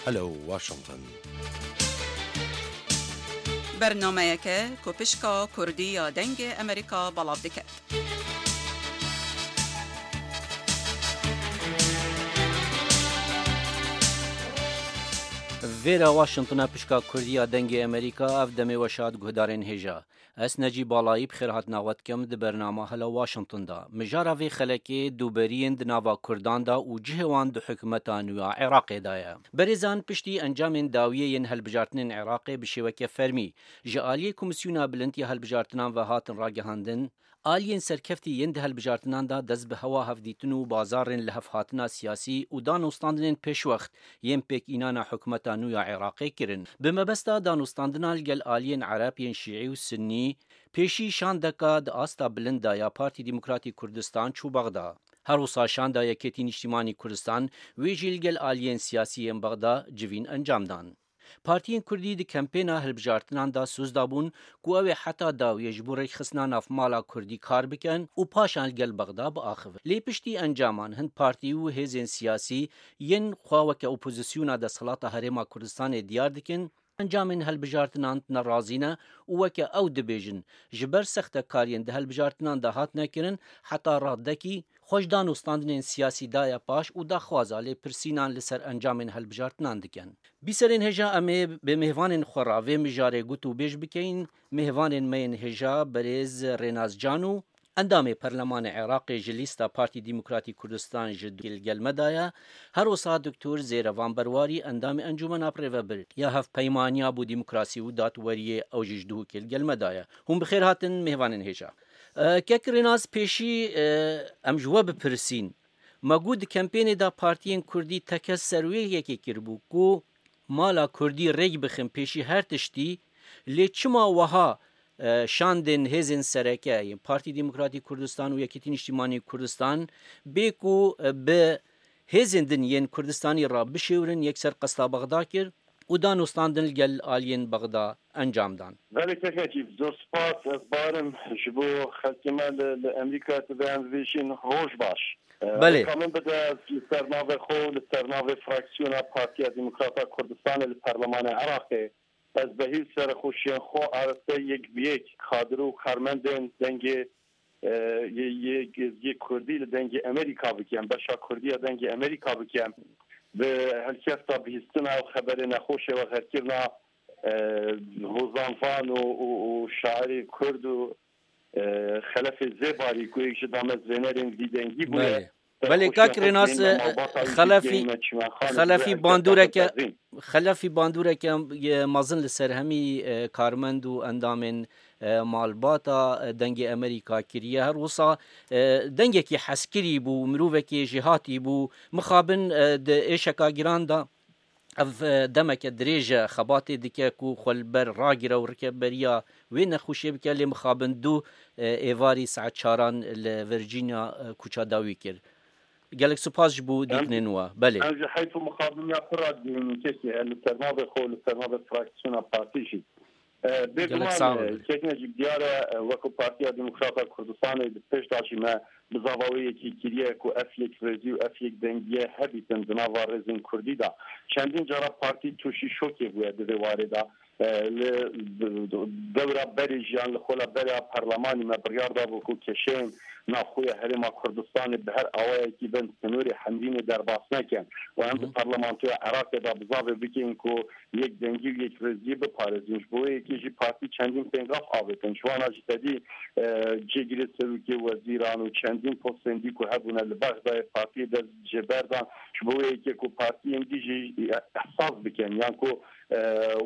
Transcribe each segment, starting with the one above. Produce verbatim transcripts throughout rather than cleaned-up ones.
Hello Washington. Bernameyeke ku pişka Kurdî ya Dengê Amerîka belav dike. Vêra Washingtona pişka Kurdî ya Dengê Amerîka, ev demê we şad guhdarên hêja. Ez Necî Balayî bi xêrhatina we dikim di bernama Hela Washington de. Mijara vê xelekê dûberiyên di nava Kurdan de û cihê wan di hikûmeta nû ya Iraqê de ye. Berêzan piştî encamên dawiyê yên hilbijartinên Iraqê bi şêweke fermî ji aliyê Komîsyona Bilind ya Hilbijartinan ve hatin ragihandin, aliyên serkeftî yên di hilbijartinan de dest bi hewa hevdîtin û bazarên lihevhatina siyasî û danûstandinên pêşwext yên pêkînana hikûmeta nû ya Iraqê kirin. Bi mebesta danûstandina li gel aliyên Ereb yên Şîî û Sinnî, pêşî şandeka di asta bilind de ya Partî Demokratî Kurdistan çû Bexda. Her wisa şanda Yekêtî Nîştîmanî Kurdistan, wê jî li gel aliyên siyasî yên Bexda civîn encam dan. Partiyên Kurdî di kempêna hilbijartinan de soz dabûn ku ew ê heta dawiyê ji bo rêkxistina navmala Kurdî kar bikin û paşan li gel Bexda biaxivin. Lê piştî encaman hin partî û hêzên siyasî yên xwe weke opozisyona desthilata Herêma Kurdistanê diyar dikin, encamên hilbijartinan tune razî ne û weke ew dibêjin, ji ber sextekariyên di hilbijartinan de hatine kirin, heta radekî xwe ji danûstandinên siyasî daye paş û daxwaza lêpirsînan li ser encamên hilbijartinan dikin. Bîserên hêja, em ê bi mêvanên xwe re vê mijarê gotûbêj bikeyin. Mêvanên me yên hêja berêz Rênas Can û endamê Perlemanê Iraqê ji lîsta Partî Demokratî Kurdistan ji Duhokê li gel me de ye. Her wisa Doktor Zêrevan Berwarî, endamê Encûmena Birêvebir ya Hevpeymaniya bo Demokrasî û Dadweriyê, ew jî ji Duhokê li gel me de ye. Hûn bi xêr hatin mêvanên hêja. E, Kek Rênas, pêşî, e, em ji we bipirsîn. Me got di kempênê de partiyên Kurdî tekez ser wê yekê kiribû ku mala Kurdî rêk bixin pêşî her tiştî, lê çima wiha, e, şandên hêzên sereke yên Partî Demokratî Kurdistan û Yekîtî Nîştîmanî Kurdistan bê ku, e, bi hêzên din yên Kurdistanî re bişêwirin, yekser qesta Bexda kir û danûstandin li gel aliyên Bexda encam dan? Belê, kekekî, zor spas. Ez barim ji bo xelkê me li, li Amerîka, tu dê em bibêjin roj baş. E, Belê. Rêka min bide, ez li ser navê xwe û li ser navê fraksiyona Partiya Demokrata Kurdistanê li Perlemanê Iraqê, ez behî û serexweşiyên xwe arasteyê yek bi yek kadir û karmendên dengê, e, yê, yê, yê Kurdî li Dengê Amerîka bikim, beşa Kurdî ya Dengê Amerîka bikim. Bi helkefta bihîstina û xeberê nexweşê we xerkirina, e, Hozan Van û, û, û şairê Kurd û, e, Xelefê Zêbarî ku yek ji damezrênerên vî dengî bûye. Belê. Belê, kak Rênas, e, Xelefî, Xelefî bandoreke, Xelefî bandoreke, e, mezin li ser hemî, e, karmend û endamên, e, malbata, e, Dengê Amerîka kiriye. Her wisa, e, dengekî hezkirî bû, mirovekî jêhatî bû. Mixabin, e, di êşeka giran de ev, e, demeke dirêj e xebatê dike ku xwe li ber ragire û rikeberiya wê nexweşiyê bike, lê mixabin du, e, êvarî saet çaran li Virginia, e, kuça dawî kir. Gelek spas ji bo dîtinên we. Belê. Em ji heyf û mixabiniya pir re dihênîn, kekê, li ser navê xwe, li ser navê fraksiyona partî jî. E, Gelek bêguman, sağ e, ol. Kekne jî diyar e, e, wekî Partiya Demokrata Kurdistanê di pêş de jî me bi zava wê yekî kiriye ku ev yekrêzî û ev yekdengiye hebîtin di nava rêzên Kurdî de. Çendîn cara partî tûşî şokê bûye di vê warê de. E, li dewra berê jî yan li xola berê ya perlemanî me biryar dabû ku kêşeyên navxwe ya Herêma Kurdistanê bi her awayekî bin sînorê Hemdînê derbas nekin. Û em di Hı hı. Parlamentoya Iraqê de bizavê bikin ku yekdengî û yekrêziyê biparêzin. Ji bo wê yekê jî partî çendîn pêngav avêtin. Ji wana jî tedî, e, cêgirê serokê wezîran û çendîn postên dî ku hebûne li Bexdayê partiyê dest jê berdan. Ji bo wê yekê ku partiyên dî jî ehsas bikin, yan ku, e,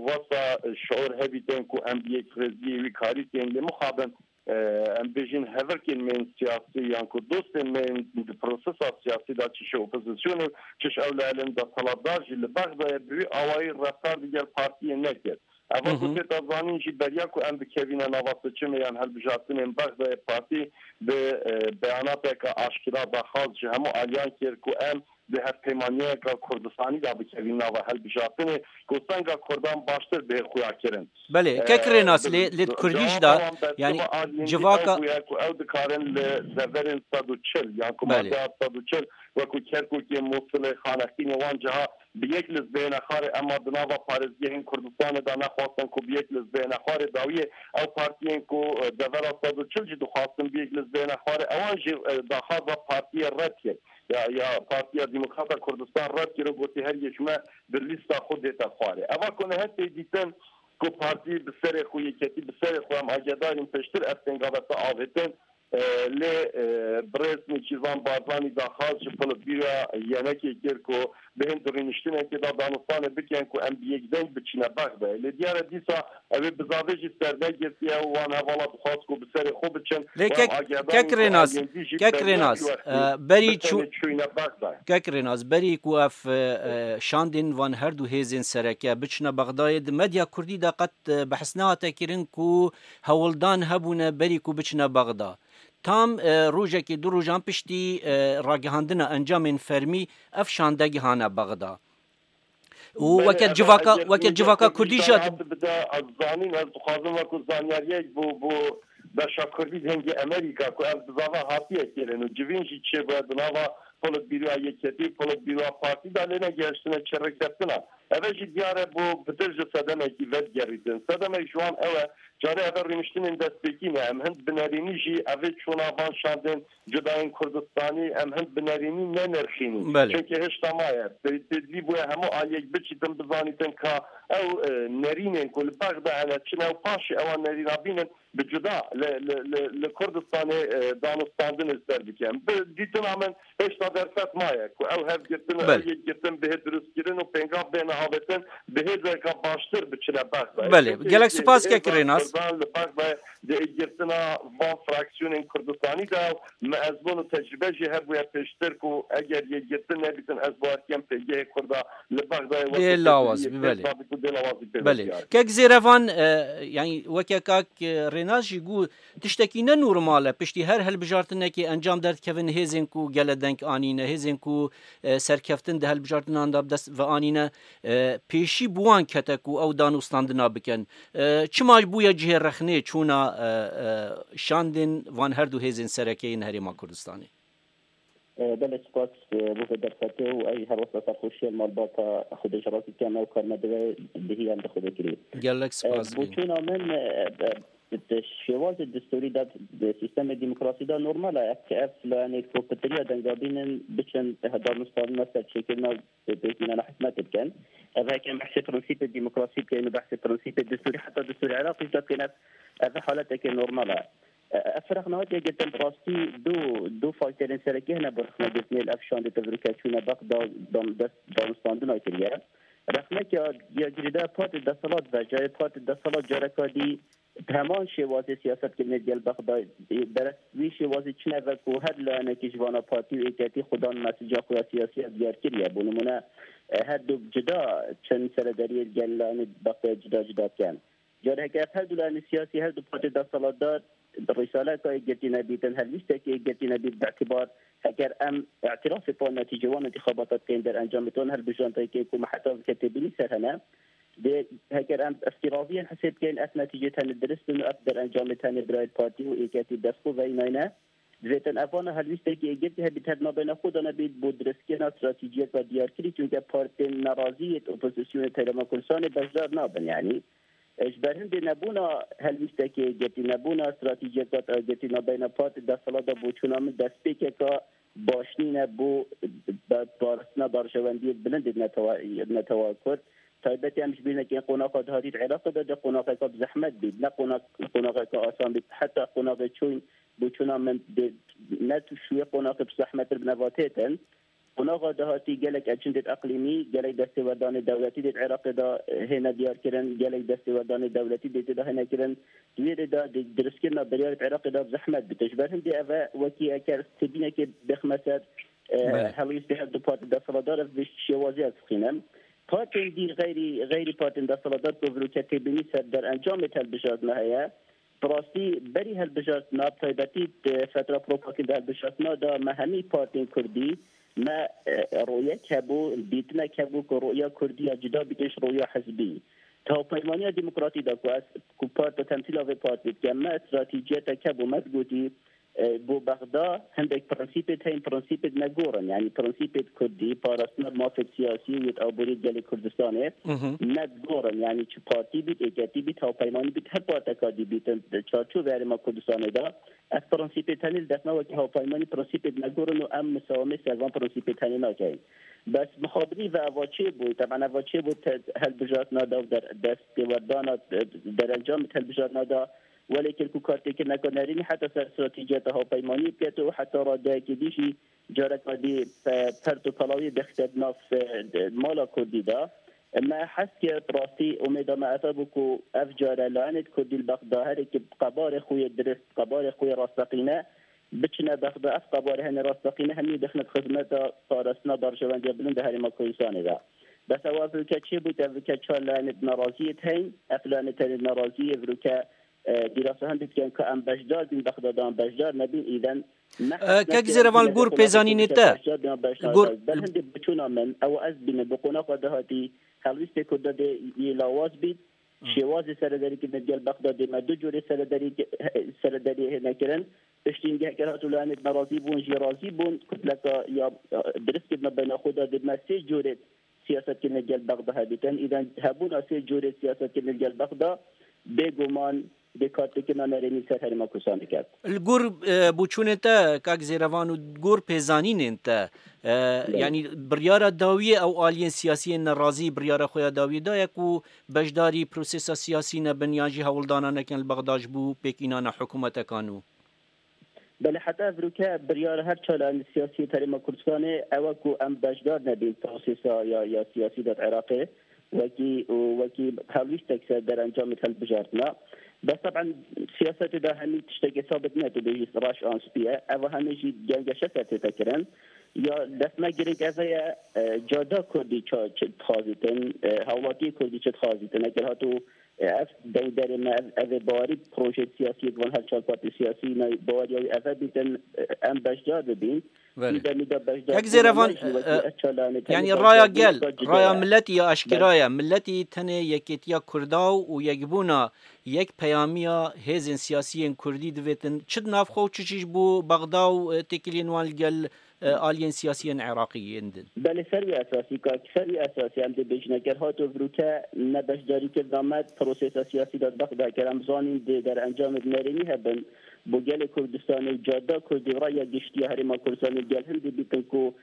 wesa şiûr hebîtin ku em bi yekrêziyê wî karî tên, lê mixabin, e, em bêjin hevirkên me yên siyasî yan ku dostên me yên di prosesa siyasî de çi ji opozîsyonê û çi ji ew li elên desthilatdar jî li Bexdayê bi wî awayî reftar digel partiyê nekir. Eva Hı hı. ku tê te zanîn jî beriya ku em bikevîne nava seçimê yan hilbijartinên Bexdayê partî bi, e, beyanateke aşkera daxwaz ji hemû aliyan kir ku em di hevpeymaniyeka Kurdistanî de bikevîn nava hilbijartinê, ku senga Kurdan baştir bê xuya kirin. Belê, kek Rênas, lê, lê di Kurdî jî de, yanî, civaka bûye ku ew dikarin li deverên sed û çil, yan ku Belê. Madeya sed û çil, wekû Kerkûkê, Mûsilê, Xaneqînê, wan ciha bi yek lizbeyê nexwarê, ema di nava parêzgehên Kurdistanê de nexwastin ku bi yek lizbeyê nexwarê, dawiyê ew partiyên ku, e, devera sed û çil jî dixwastin bi yek lizbeyê nexwarê, ewan jî, e, daxwaza partiyê red kir. Ya, ya Partiya Demokrata Kurdistan red kir û gotî her yek ji me bi lîsta xwe dête xwarê. Eva ku niha tê dîtin ku partî bi serê xwe, yeketî bi serê xwe, em agedarîn pêştir ev tênga vete avêtin, e, lê, e, birêz Nêçîrvan Barzanî daxwaz ji Politbîroya yenekê kir ku bihên di rûniştinekê de danûstanê bikin ku em bi yek deng biçine Bexdayê. Lê diyar e dîsa ew ê bizavê jî sernegirtiye û wan hevala dixwaz ku bi serê xwe biçin. Lê û em kek, agedarîn kek ku Rênas, ayendî jî kek peyvê Rênas, wextî e, berî bi çû-, tenê çûyîne Bexdayê. Kek Rênas, berî ku ev, e, e, şandên van her du hêzên sereke biçine Bexdayê, di medya kurdî de qet, e, behs nehate kirin ku hewldan hebûne berî ku biçine Bexda. Tam, e, rojekê, du rojan piştî, e, ragihandina encamên fermî ev şande gihane Bexda. Û Belê, weke ev civaka, eger weke hûn civaka kurdî jî hat bide, ez zanîn, ez dixwazim wekû zanyariyek bû, bû beşa kurdî di hingê Amerîka, ku ev bizava hatiye kirin û civîn jî çêbûye di nava Politbîroya Yeketî, Politbîroya Partî de lê negihiştine çêrekeftina. Eve jî diyar e bû pitir ji sedemekî vedigerîtin. Sedemek ji wan ew e, carê eve rûniştinên destpêkî ne. Em hind bi nerînî jî evê çûna van şandên cudayên Kurdistanî em hind bi nerînî nenirxînî. Belê. Çunkî hişta maye. Tê-, têdlî bûye hemû aliyek biçîtin, bizanîtin ka ew, e, nerînên ku li Bexda hene çi ne û paşê ewan nerîna bînin bi cuda li, li, li, li Kurdistanê, e, danûstandinê ser bikin. Bi dîtina min hêşta derfet maye ku ew hevgirtin û Belê. Ew yekgirtin bihê dirustkirin û pêngav bêne avêtin, bi hêzeka baştir biçine Bexdayê. Belê. Çunkî Gelek spas hêza kek Rênas. Kurdan li Bexdayê di êkgirtina van fraksiyonên Kurdistanî de me ezmûn û tecrûbe jî hebûye pêştir ku eger yekgirtin nebîtin, ez bawer dikim pêgehê Kurda li Bexdayê wekû Dê lawaz bî, belê. Dê lawaz bî pê Belê. Diyar. Kek Zêrevan, e, yanî weke kak, e, Rênas jî got, tiştekî ne normal e. Piştî her hilbijartinekê encam derdikevin hêzên ku gele deng anîne, hêzên ku, e, serkeftin di hilbijartinan de bi dest ve anîne, e, pêşî bi wan kete ku ew danûstandina bikin. E, çima bûye cihê rexnê çûna, e, e, şandên van her du hêzên sereke yên Herêma Kurdistanê? E, belê spas, e, bo vê derfetê û ey her wesa serxweşiyê li malbata Xwedê ji rastî dikem, ew kar me divê bihî em bi Xwedê kirî. Gelek E, spas. Bo çûna min, e, e, di şêwazê distûrî de, di sîstemê demokrasî de normal e. Ev, ev layenê ku pitiriya denga bînin biçin, e, danûstandina serçêkirina pêkînana hikûmetê bikin. Ev heke em behsê prensîpê demokrasî bikin û behsê prensîpê distûrî, heta distûrê Iraqê jî de bikin, ev, ev haletekê normal e. E, ev firaq nehatiye girtin, bi rastî du, du faktorên serekî hene bo rexnegirtinê li ev şandê tevroke çûne Bexda dan-, dest danûstandina kiriye. Rexnek ya, ya girêdayî partê desthilat ve, carê partê desthilat careka dî bi heman şêwazê siyaset kirinê digel Bexdayê, berek wî şêwazê çine ve ku her layenekî ji vana partî û êketî xwedan mesija xwe ya siyasî ya diyar kiriye. Bo nimûne, e, her du cuda çend seredariyê digel layenê Bexdayê cuda cuda dikin. Careke ev her du layenê siyasî, her du partê desthilatdar, risaleka êkgirtî nebîtin, helwîstekê êkgirtî nebît, bi îtibar heger em îtirafê pa netîcê wan intixabata dikeyin, derencamê wan hilbijartinekê ku me heta vê ke têbînî ser hene, dê heger em îftiraziyên hesê bikeyin, ev netîcê tenê dirist in û ev derencamê tenê birayê partî û êketî dest xwe veyînayne. Divêtin evana helwîstekî êkgirtî hebît, her nabeyna xwe de nebît bo dirustkirina stratejiyeka diyarkirî, çunke partên nerazî yê opozisyonê di Herêma Kurdistanê beşdar nabin. Yanî, e, ji ber hindê nebûna helwîstekê yekgirtî, nebûna stratejiyeka yekgirtî nabeyna partê desthilat de bo çûna min destpêkeka baş nîne bo, e, parastina berjewendiyê bilind ê netewa, netewa Kurd. Taybetî em ji bîr nekin qonaxa dahatî di Iraqê de, de qonaxeka bi zehmet bît, ne qonax-, qonaxeka asan bît. Heta qonaxê çûn bo çûna min dê ne tu şûyê qonaxê bi zehmettir bi neva têtin. Qonaxa dahatî gelek ecindê eqlîmî, gelek destêwerdanê dewletî dê di Iraqê de, e, hêne diyarkirin, gelek destêwerdanê dewletî dê tê de hêne kirin. Di wê rê de dê dirustkirina biryarê di Iraqê de bi zehmet bite. Ji ber hindê ev e wekî eker têbînekê bêxme ser, e, Belê. Helwîstê her du partê desthilatdar, ev bi şêwazî ez dixînim. Partên dî xeyrî, xeyrî partên desthilatdar ku virûke têbînî ser derencamê hilbijartina heye, Bi rastî berî hilbijartina, bi taybetî di fetra propaganda hilbijartina de me hemî partiyên kurdî me, e, rûyek hebû, dîtinek hebû ku rûya kurdî ya cuda bike ji rûya hizbî. Di Hevpeymaniya Demokratî de ku ez, ku parta temsîla vê partî dikem, me stratejiyeteke bû, me digotî, e, bo Bexda hindek prensîpêt heyîn, prensîpêt me gorin. Yanî prensîpêt kurdî, parastina mafêt siyasî û yêt aborî gelê Kurdistanê, mhm, me gorin. Yanî çi partî bît, êketî bît, hevpeymanî bît, her parteka dî bîtin, çarçovê herêma Kurdistanê de, ev prensîpêt tenê li def me wekî hevpeymanî prensîpêt me gorin û em misawamê ser van prensîpêt tenê nakeyin. Bes mixabinî ve eva çê bû, teban eva çê bû te-, hilbijartina da û der-, dest têwerdana, e, derencamê hilbijartina da, welê kir ku kartêkirineka nerînî heta ser stratejiyeta hevpeymaniyê biketo û heta radeyekê dî jî careka dî pe-, pert û pelawiyê dixîte di nav, e, de, mala kurdî de. Me hez kir, bi rastî umêda me ev bû ku ev care layenêt kurdî li Bexda herê ki bi qebarê xwe yê dirist, bi qebarê xwe yê rasteqîne, biçine Bexda, ev qebarê hene rasteqîne hemî dixine di xizmeta parastina berjewendiya bilind di herêma Kurdistanê de. Bes ew ev ülke çê bû, ev ülke çar layenêt naraziyêt heyn, ev layenêt tenê naraziyê vruke, e, dîrasa hindî dikin ku em beşdar bîn, Bexda de em beşdar nebîn, îden ne E, hesne kek ki em Zêrevan, li gor pêzanînê te, beşdar bîn, beşdar gor bîn. Ber hindê biçûna min, ew ez bîne bi qonaxa dahatî, helwîstê Kurda dê yê lawaz bît, şêwazê serederî kirin gel Bexdadê me du curê serederî, serederî hêne kirin. Piştî hingehker hatû layenêt me razî bûn, jî razî bûn. Kutleka ya, ya dirist kirine beyna xwe de dê me sê curê siyaset kirin gel Bexda hebîtin. Îden hebûna sê curê siyaset kirin gel Bexda bêguman bê kartekirina nerênî ser herêma Kurdistanê ket. Li gor, e, boçûnê te, kak Zêrevan, û gor pêzanînên te, e, Belê. Yanî biryara dawiyê ew aliyên siyasiyên nerazî biryara xwe ya dawiyê daye ku beşdarî prosesa siyasî nebin yan jî hewldana nekin li Bexda ji bo pêkînana hikûmeteka nû? Belê, heta evroke biryara her çar layenê siyasî yê herêma Kurdistanê ew e ku em beşdar nebîn prosesa ya, ya siyasî de di Iraqê wekî û wekî hevlîstek ser derencamê hilbijartina. Bes teben siyasetê de hemî tiştekê sabit ne, tu bêjî reş an spî ye. Ev hemî jî gengeşe ser tête kirin. Ya dest me girêk ev ye, e, cada Kurdî ça-, çi dixwazîtin, e, hawlatiyê Kurdî çi dixwazîtin. Eger hatû, e, ev dengderê me, ev, ev ê bawerî projeyê siyasî yê van her çar partî siyasî me baweriya wî ev e bîtin, e, em beşdar bibîn. Belê. Îdemî de beşdar Kek bûna Zêrevan, me jî wekî e, ev çar layenê yanî tenê raya beşdar bûn, gel, ka raya cida ye. Miletî ya eşkera ye. Miletî tenê yekêtiya Kurda û yekbûna yek peyamiya hêzên siyasiyên Kurdî divêtin. Çi di nav xwe û çi jî ji bo Bexda û, e, têkiliyên wan li gel e, aliyên siyasiyên Iraqî yên din. Belê, ser wî esasî, ka ser wî esasî em dê bêjin, eger hato vîruke ne beşdarîkirina me di prosesa siyasî de di Bexda, eger em zanîn dê derencamê bi nerênî hebin bo gelê Kurdistanê û cada Kurdî û raya giştî ya herêma Kurdistanê, gel hindê bîtin ku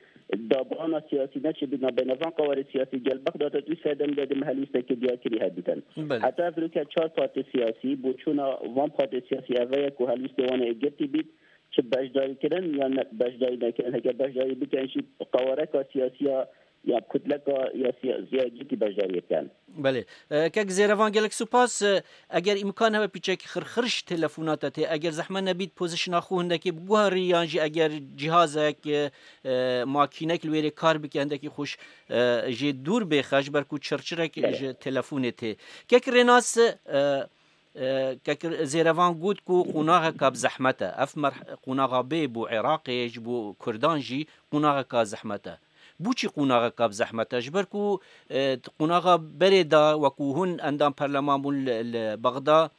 dabrana siyasî neçe bîna beyna van qawarê siyasî gel Bexda de, tu serdem de dê me helwîstekê diyarkirî hebîtin. Belê. Heta vîruke çar partê siyasî, boçûna van partê siyasî ev e ku helwîstê wan ê girtî bît, çi beşdarî kirin yan ne, beşdarî nekirin. Heger beşdarî bikin jî qawareka siyasiya ya kutleka ya siyasiya cîtî beşdarî bikin. Belê. E, kek Zêrevan, gelek spas. E, eger îmkan hebe pîçekî xirxir ji telefona te tê. Eger zehmet nebît, pozîsyona xwe hindekî biguherî yan jî eger cihazek, e, e, makînek li wêrê kar bike, hindekî xweş, e, jê dûr bêxe, ji ber ku çirçirek Belê. ji telefonê tê. Kek Rênas, e, E, Kek Zêrevan got ku qonaxeka bi zehmet e. Ev merh-, qonaxa bê bo Iraqê, ji bo Kurdan jî qonaxeka zehmet e. Bo çî qonaxeka bi zehmet e? Ji ber ku, e, qonaxa berê de, wekû hûn endam perleman bûn li, li Bexda,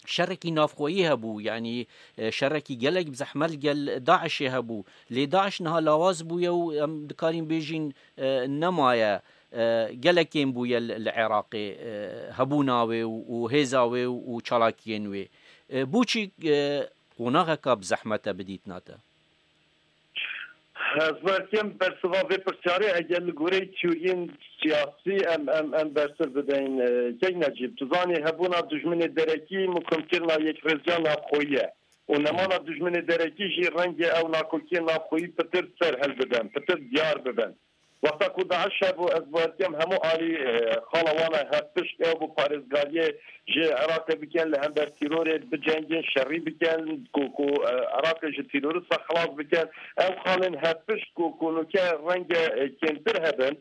şerekî navxweyî hebû, yanî, e, şerekî gelek bi zehmet li gel DAIŞê hebû. Lê DAIŞ niha lawaz bûye û em dikarîn bêjîn, e, nemaye. E, gelek kêm bûye li, li Iraqê, e, hebûna wê û, û hêza wê û, û çalakiyên wê. E, bo çî, e, qonaxeka bi zehmet e bi dîtina te? Ez belkêm bersiva vê pirsyarê, eger li goreyê teoriyên siyasî em, em, em bersiv bideyin, e, kek Necîb. Tu zanî hebûna dijminê derekî muhkimkirina yekrêziya navxweyî ye. Û nemana dijminê derekî jî renge ew nakokiyên navxweyî pitir ser hilbidin, pitir diyar bibin. Wexta ku DAIŞ hebû, ez bawer dikim hemû alî, e, xala wan e, hevpişt ew bi parêzgariyê ji Iraqê bikin, li hember tîrorê bicengin, şerî bikin, ku, ku, e, Iraqê ji tîrorista xilas bikin. Ew xalên hevpişt ku, ku nûke renge, e, kêmtir hebin,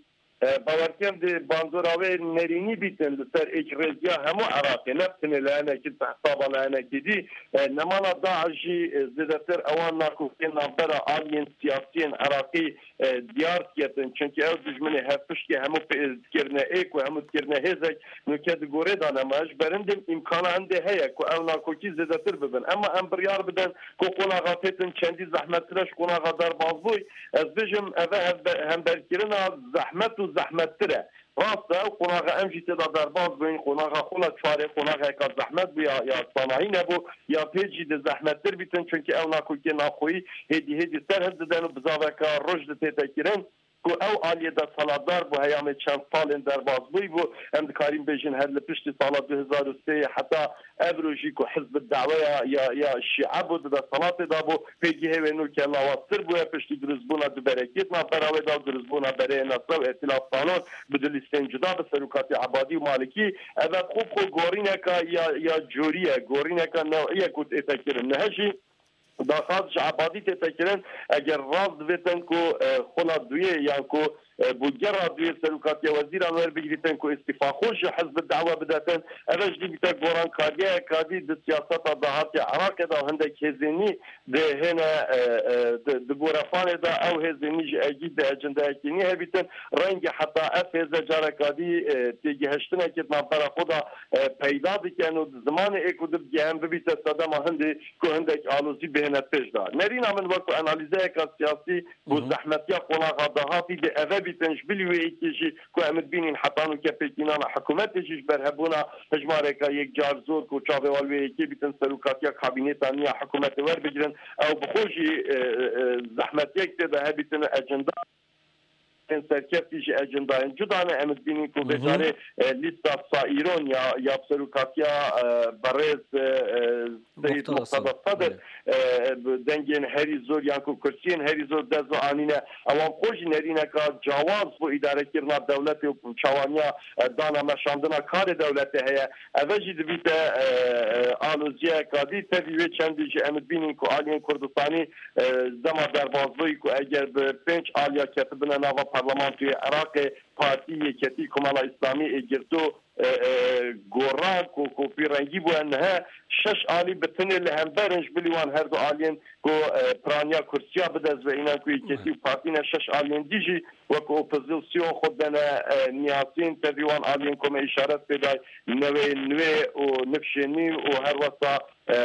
E, bawerkêm dê bandora wê nerînî bîtin li ser êkrêziya hemû Iraqê, ne tenê li hinekî, di hesaba li hinekî dî. E, nemala DAIŞ jî, e, zêdetir ewan nakokê navbera aliyên siyasiyên Iraqî, e, diyar diketin. Çunkî ew dijminê hevpiştî hemû pê-, dikirine êk û hemû dikirine hêzek, nûke di gorê de nema. Ji berindê îmkana hindê heye ku ew nakokî zêdetir bibin. Ema em biryar bidin ku qonaxa têtin çendî zehmettir e ji qonaxa derbazbûyî. Ez bêjim, eve hevbe-, hemberkirina zehmet û zehmettir e. Rast e, qonaxa em jî tê de derbas bûyn, qonaxa xwe la çarê, qonaxeka zehmet bû ya, ya sanahî nebû, ya pêt jî dê zehmettir bîtin, çunkî ew nakokê naxweyî hêdî hêdî ser hildidan û bizaveka roj di tête kirin. Ku ew aliyê desthilatdar bû, heyamê çend salên derbasbûyî bû. Em dikarîn bêjin her li piştî sala du hezar û sê heta evro jî ku hizb daweya ya, ya şîe bû, di desthilatê de bû, pêgihê wê nû kellawaztir bûye piştî dirustbûna du berekî di navbera wê de û dirustbûna bereyê Nesre û Îtîlaf Tanon bi du lîstên cuda bi serokatî Ebadî û Malikî. Ev xwe bi xwe gorîneka ya, ya corî ye, gorîneka newî ye ku tête kirin. Niha jî daxwaz ji Ebadî tête kirin, eger rast divêtin ku, e, xula duyê yan ku, e, bûgera duyê serokatiya wezîran werbigirîtin ku îstîfa xwe ji hizb dawe bidetin, ev jî dibîte gorankariyeyeka dî di siyaseta dahatî Iraqê de û hindek hêzên nî dihêne, e, e, di, di gorepanê de ew hêzên nî ji egî di ecendeyekî nî hebîtin. Rengê heta ev hêze careka dî, e, têgihiştinekê di navbera xwe de, e, peyda dikin û di zimanê ê ku dibigehen bibîte sedema hindê ku hindek alozî bihêne pêş de. Nerîna min wekî analîzeyeka siyasî bû, zehmetiya qonaxa dahatî dê eve bîtin ji bilî wê yekê jî ku em dibînin heta nûke pêkînana hikûmetê jî ji ber hebûna hejmareka yekcar zor ku çavê wan wê yekê bîtin serokatiya kabîneta nî ya hikûmetê werbigirin, ew bi xwe jî, e, e, zehmetiyek tê de hebîtin ecenda. Serkeftî jî ecendayên cuda ne. Em dibînin ku vê carê, e, lîsta saîron ya, ya serokatiya, e, berêz, e, e, Seyîd Muqtada Muqtada Sedir, Sedir, e, bi dengên herî zor yan ku kursiyên herî zor dest ve anîne. Ewan xwe jî nerîneka cawaz bo îdarekirina dewletê û çawaniya, e, dana meşandina karê dewletê heye. Eve jî dibîte, e, e, aloziyeka dî. Tevî wê çendî jî em dibînin ku aliyên Kurdistanî, e, dema derbazbûyî ku eger bi pênc aliya ketibine nava parlamentoyê Iraqê, partî, yeketî, Komela Îslamî, ê girto, e, e, goran ku, ku pîrengî bûye nihe şeş alî bi tinê li hember in ji bilî wan her du aliyên ku, e, piraniya kursiya bidest ve înan ku yeketî û partî ne şeş aliyên dî jî wek opozîsyon xwe dene, e, niyasîn tevî wan aliyên ku me îşaret pê day newê nûê û nifşê nî û her wesa, e, e,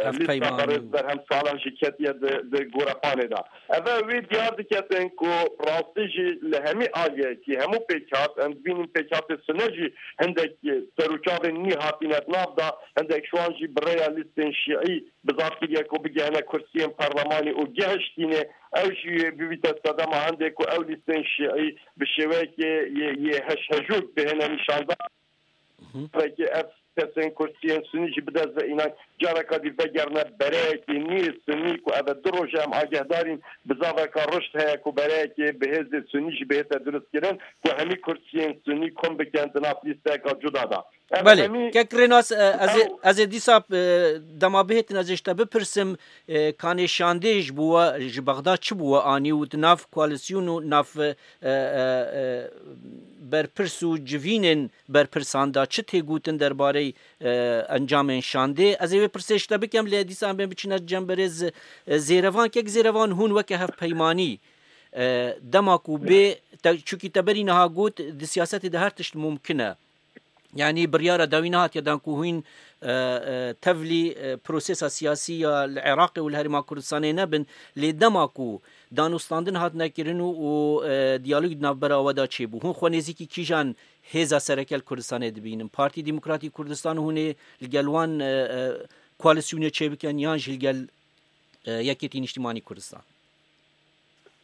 Hevpeymanî lîsta berêz û berhem salan jî ketiye di, di gorepanê de. Eve wî diyar diketin ku rastî jî li hemî aliyekî hemû pêkhat, em dibînin pêkhatê sine jî hindek serûçavên nî hatine di nav de, hindek ji wan jî bi rêya lîstên şîî bizar kiriye ku bigihene kursiyên parlemanî û gihiştîne. Ew jî bibîte sedema hindê ku ew lîstên şîî bi şêweyekê yê, yê heşhejûk bihêne nîşandan. Belkî ev kesên kursiyên sunî jî bidest ve înan careka dî vegerine bereyekî nî sunî ku ev e du roj e em agehdarîn bizaveka rişt heye ku bereyekê bi hêzê sunî jî bihête durustkirin ku hemî kursiyên sunî kom bikin di nav lîsteyeka cuda de. Ev Belê, hemî kek Rênas, e, ez ê, ew ez ê dîsa, e, dema bihêtin ez ê ji te bipirsim, e, kanê şandê ji bo we, ji Bexda çi bo we anî û di nav koalîsyon û nav, e, e, e, berpirs û civînên berpirsan de çi tê gotin derbarê, e, encamên şandê? Ez ê wê pirsê ji te bikim, lê dîsa em bên biçine cem berêz, e, Zêrevan. Kek Zêrevan, hûn weke hevpeymanî, e, dema ku bê, te, çunkî te berî niha got, di siyasetê de her tişt mumkin e. Yanî biryara dawî nehatiye dan ku hûn, e, e, tevlî, e, prosesa siyasî ya li Iraqê û li Herêma Kurdistanê nebin, lê dema ku danûstandin hatine kirin û, û, e, diyalog di navbera we de çêbû, hûn xwe nêzîkî kîjan hêza sereke li Kurdistanê dibînin? Partî Demokratîk Kurdistan hûn ê li gel wan, e, e, koalîsyonê çêbikin yan jî li gel, e, Yekêtî Nîştîmanî Kurdistan?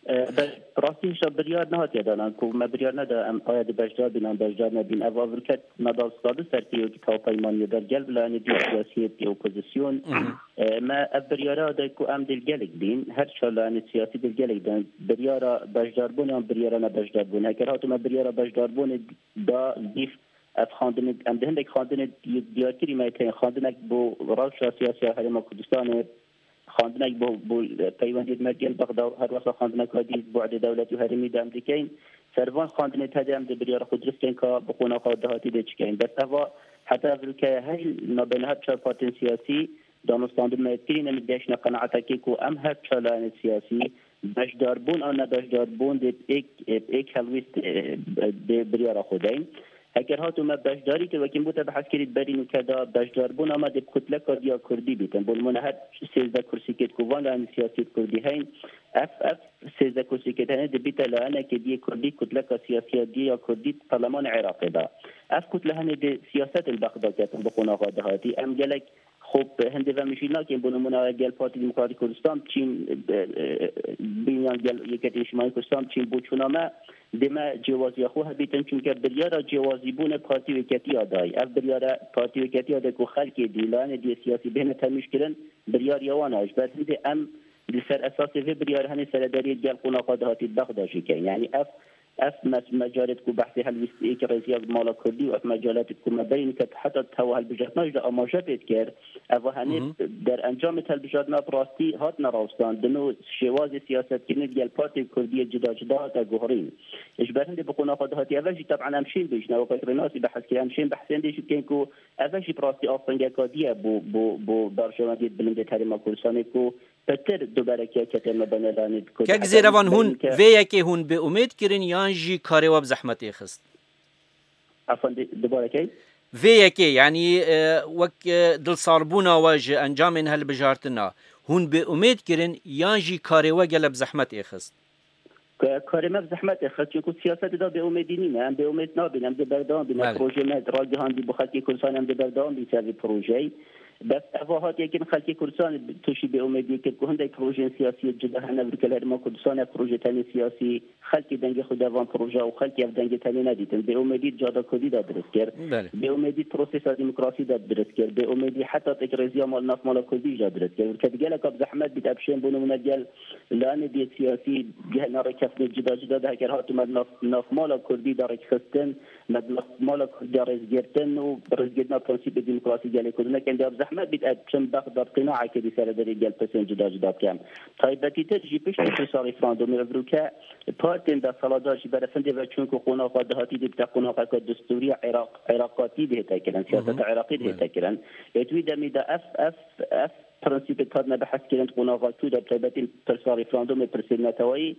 E, be-, rastî hişa biryar nehatiye danan ku me biryar neda em aya di beşdar bin an beşdar nebin. Ev avirket me da sadu serkeyokî hevpeymaniyê ber gel bila, yanî dî siyasiyê dî opozisyon. E, me ev biryara de ku em dê li gelek bin, her çar layanê siyasî dê li gelek bin. Biryara beşdarbûn an biryara nebeşdarbûn. Heker hatu me biryara beşdarbûnê da dîf ev xandinê, em di hindek xandinê di-, diyarkirî me keye xandinek bo rewşa siyasiya Herêma Kurdistanê, xandinek bo, bo peywendiyê me gel Bexda, her wesa xandineka dî bu'dê dewlet û herêmî de em dikeyn. Ser van xandinê tedê em dê biryara xwe dirust kein ka bi qonaxa dahatî dê çi kein. Bes eva heta ev rûkeye hey nabeyna her çar partiyên siyasî danûstandin me yê kirîn em dê gehiştine qenaetekê ku em her çar layenê siyasî beşdarbûn an nebeşdarbûn dê bi êk, bi êk helwîst, e, dê biryara xwe deyn. Heger hatû me beşdarî kir, wekî min gote bi hezkirî berî nûke da beşdarbûna me dê bi kutleka diya kurdî bîtin. Bo nimûne her sêzdeh kursîkêt ku van layenê siyasî kurdî heyn, ev, ev sêzdeh kursîkêt hene dê bîte layenekê diyê kurdî, kutleka siyasiya diyê ya kurdî di perlemanê Iraqê de. Ev kutle hene dê siyasetên Bexda ketin bi qonaxa dahatî. Em gelek xwe bi hindê ve mijîl nakin. Bo nimûne gel Partî Demokratîk Kurdistan biçîn, e, e, bîn yan gel Yeketî Niştimanî Kurdistan biçîn bo çûna me dê me cêwaziya xwe hebîtin, çunke biryara cêwazîbûnê Partî Yeketî ya dayî. Ev biryara Partî Yeketî ya de ku xelkê dî, layenê diyê siyasî bihêne temîj kirin, biryar ya wan e. Ji ber hindê em li ser esasê vê biryarê henê seredariyê gel qonaxa dahatî Bexda jî kein. Yanî ev, ev me-, mecalet ku behsê helwîstiyê ki rêziya mala kurdî û ev mecalet ku me berî nike heta tewa hilbijartina jî de amaje pê dikir, eva henê derencamê hilbijartina bi rastî hatine rawestandin û şêwazê siyasetkirinê digel partiyên kurdî yê cida cida hate guherîn. Ji ber hindê bi qonaxa dahatî eve jî teb'en em şên bêjine, weke Rênasî behs kir, em şên behsên dê jî bikein ku eve jî bi rastî astengeka dî ye bo, bo, bo berjewendiyê bilind ê herêma Kurdistanê ku pitir duberekiya ketê me bene lanê di Kurd. Kek Zêrevan, hûn vê yekê hûn bê umêd kirin yan jî karê we bi zehmetê xist? Efendî, dubarekey? Vê yekê, yanî, e, wek, e, dilsarbûna we ji encamên hilbijartina, hûn bê umêd kirin yan jî karê we gele bi zehmetê xist? Ke-, karê me bi zehmetê xist, çunku siyasetê de bêumêdî nîne. Em bêumêd nabin, em dê berdewam bin. Belê. Projê me ragihandî bo xelkê Kurdistanê, em dê berdewam bin ser vê projeyê. Bes eva hatiye kirin, xelkê Kurdistanê tûşî bêumêdiyê kir ku hindek projeyên siyasî yê cida hene, vir ke li Herêma Kurdistanê ev proje tenê siyasî, xelkê dengê xwe da van proje û xelkê ev dengê tenê nedîtin. Bêumêdî di cihada kurdî de dirist kir. Belê. Bêumêdî di prosesa demokrasî de dirist kir. Bêumêdî heta tekrêziya mal, nav mala kurdî jî de dirist kir. Vir ke di geleka bi zehmet bît, ev şên bo nimûne gel Lanê dê siyasî di hena rêkeftinê cida cida de heger hatime di nav, navmala kurdî de rêkxistin, me di navmala kurdî de rêzgirtin û rêzgirtina prensîpê demokrasî gelê Kurd. Hinek em dê bi zehmet bît, ez çim Bexda bi qînaekê dî seredarî gel pirsên cida cida bikem. Taybetîtir jî piştî pirsa referandumê evrûke partiyên desthilatdar jî berefindê ve çûn ku qonaxa dahatî dê bite qonaxeke destûrî ya Iraq, Iraqatî dê hête kirin, siyaseta Iraqî dê hête kirin. Ê di wî demî de ev, ev, ev prensîpê hatine behs kirin, di qonaxa çû de, bi taybetî pirsa referandumê, pirsê neteweyî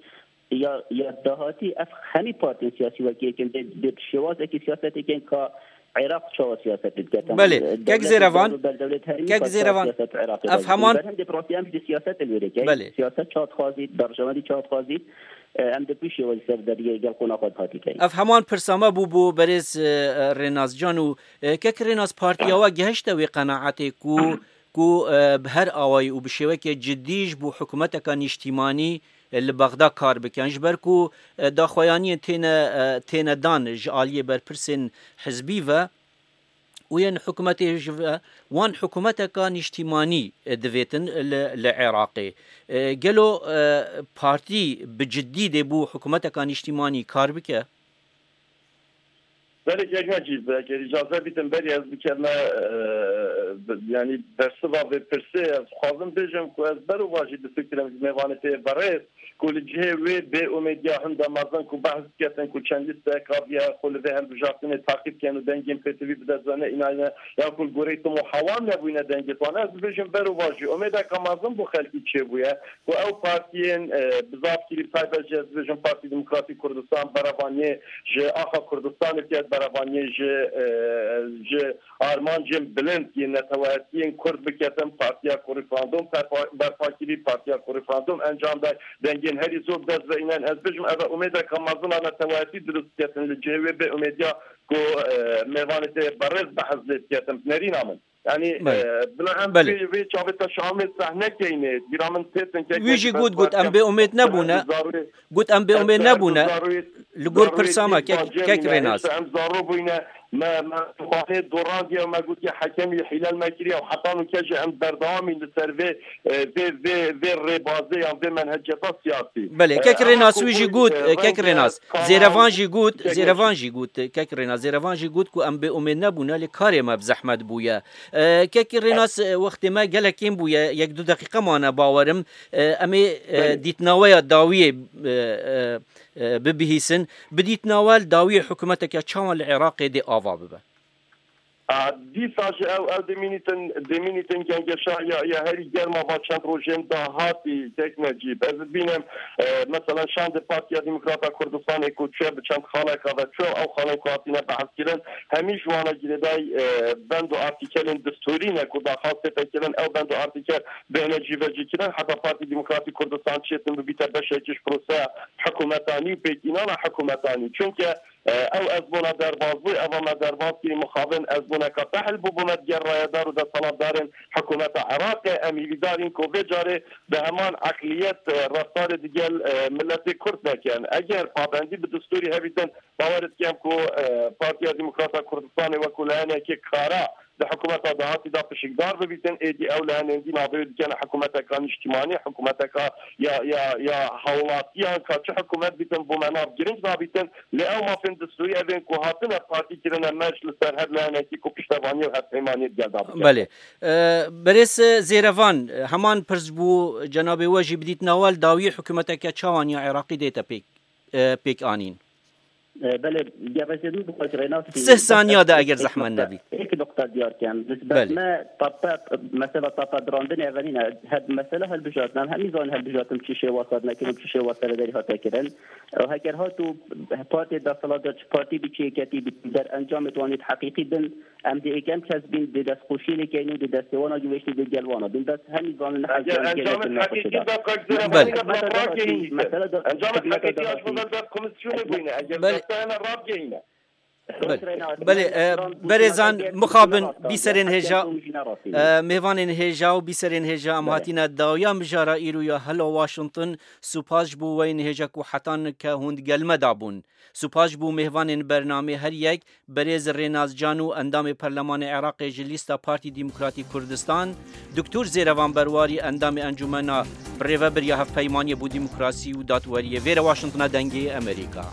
ya, ya dahatî, ev hemî partiyên siyasî wekî yek in, dê, dê bi şêwazekî siyasetê kin ka Iraq çawa siyasetê dike. Belê, kek Zêrevan, kek Zêrevan, siyaset Iraqê ev heman berhindê bi rastî em jî dê siyaset li wê rêkê. Belê. Siyaset çawa dixwazî, berjewendî çawa dixwazî, e, em dê bi şêwazî serdariyê gel qonaxa dahatî keyin. Ev heman pirsa me bû bo berêz, e, Rênaz Can û, e, kek Rênaz, partiya we gehişte wê qenaetê ku ku, e, bi her awayî û bi şêwekê cidî ji bo hikûmeteka nîştîmanî, e, li Bexda kar bikin. Ji ber ku, e, daxuyaniyên têne, e, têne dan ji aliyê berpirsên hizbî ve û yên hikûmetê ji ve wan hikûmeteka nîştîmanî, e, divêtin li, li Iraqê. E, gelo, e, partî bi cidî dê bo hikûmeteka nîştîmanî kar bike? Belê, kek Necîb, eger îcaze bîtin, berî ez bikevme, e, bi-, yanî bersiva vê pirsê, ez dixwazim bêjim ku ez berovajî difikirim ji mêvanê tê berêz, ku li cihê wê bêumêdiya hinda mezin ku behs diketin ku çend lîstek aviye xwe li vê hilbijartinê taqîb ken û dengên pêtivî bi dest ve neyînayne, ya ku li goreyî tim û hewan nebûyne dengê wan. Ez dibêjim berovajî umêdeka mezin bo xelkî çêbûye. Ku ew partiyên, e, bi zafkirî, bi taybet jî ez dibêjim Partî Demokratîk Kurdistan, berevaniyê ji axa Kurdistanê têt, berevaniyê ji, e, ji armancên bilind yên neteweyetiyên Kurd biketin, partiya ku referandum berpa-, berpa kirî, partiya ku referandum encam day, dengên herî zor bi dest ve înen. Ez bêjim ev e umêdeka mezin a neteweyetî dirust diketin li cihê wê bêumêdiya ku, e, mêvanê tê berêz behs lê diketin, bi nerîna min. Yanî, Belê. e, bila em Belê. vê, vê çavê te şamê sehne keynê. Bîra min têtin kek Wî jî got, got, em bê umêd nebûne. Got, em bê umêd nebûne. Li gor pirsa me, kek, kek Rênaz. Em zaro bûyne, Me, me, me dorandiye, me gotiye hekemî hîlel me kiriye û heta nûke jî em berdewamî li ser vê, e, vê, vê, vê rêbazê yan vê menheciyeta siyasî. Belê, kek E, Rênas ama wî jî ku, got, e, e, kek rengê Rênas, kanal Zêrevan jî got, kek Zêrevan jî got, kek Rênas, Zêrevan jî got ku em bê umêd nebûne, lê karê me bi zehmet bûye. E, kek Rênas, e, wextê me gelek kêm bûye, yek du deqîqe mane bawerim. E, em ê, e, Belê. dîtnaweya dawiyê, e, e, e, bibihîsin. Bi dîtina we li dawiyê hikûmeteke çawan li Iraqê dê ava bibe? A, dîsa jî ew, ew dimînîtin, dimînîtin gengeşa ya, ya herî germa va çend rojên dahatî kek Necîb. Ez bînim, e, mesela şandê Partiya Demokrata Kurdistanê ku çûye bi çend xaleka ve çûye, ew xalên ku hatine behskirin, hemî ji wana girêdayî, e, bend û artîkelên distûrî ne ku daxwaz tête kirin, ew bend û artîkel bêhne cîvecîkirin, heta Partî Demokratî Kurdistan çêtin bibîte beşekî ji proseya hikûmetanî û pêkînana hikûmetanî. Çunke, e, ew ez bona derbazbû, eva me derbaz kirî mixabin, ez boneka tehl bû, bûme digel rayedar û desthilatdarên hikûmeta Iraqê. Em hîvîdar in ku vê carê bi heman eqliyet, e, reftarê digel, e, miletê Kurd nekin. Eger pabendî bi distûrî hebîtin, bawer dikim ku, e, Partiya Demokrata Kurdistanê wekû layenekê kara di hikûmeta dahatî de pişikdar bibîtin, êdî ew li henên dî navê wê dikene hikûmeteka nîştimanî, hikûmeteka ya, ya, ya hawlatiyan, ka çi hikûmet bîtin, bo me nav girîng nabîtin, lê ew mafên distûrî evên ku hatine partî kirine, me ji li ser her layenekî ku piştevaniyê û hevpeymaniyê digel de bikin. Belê. E, berêz Zêrevan, heman pirs bû, cenabê we jî bi dîtina we li dawiyê hikûmeteke çawan ya Iraqî dête pêk, e, pêk anîn? E, belê, gerek min bi xwe Rênas Sih saniya de eger zehmet nebî. Êk noqta diyar kem. Nisbet Belê. me tape, mesela tape dirandinê evenîne, heb, mesela helbijartin, em hemî zanin helbijartin çi şêwasa dinekin û çi şêwasa serederî hate kirin. Û heger hat û partê desthilatdar çi partî bî, çi yeketî bî, der encamê wan êt heqîqî bin, em dê êkem kes bîn, dê destxweşiyê lê keyn û dê destê wana giveştî dê gel wana bin. Bes hemî zanin ne Eger hezyan encamê gelek heqîqî da kak Zêrevan Hikûmeta da, Zêrevan hizmeta da, rakeyî. Encamê hizmeta heqîqî da ya ji rakeyî. Ber dest komisyonê bûyne. Eger Bel- desteyene rakeyîne. Belê. Belê, e, berêzan mixabin bîserên hêja, e, mêvanên hêja û bîserên hêja em Belê. hatîne dawiya mijara îro ya Hello Washington. Supas ji bo we yên hêja ku heta nike hûn digel me da bûn. Supas ji bo mêvanên bernamê her yek, berêz Rênas Can û endamê Perlemanê Iraqê ji lîsta Partî Demokratî Kurdistan, Doktor Zêrevan Berwarî endamê Encûmena Birêvebir ya Hevpeymaniyê bo Demokrasî û Dadweriyê. Vêre Washingtona Dengê Amerîka.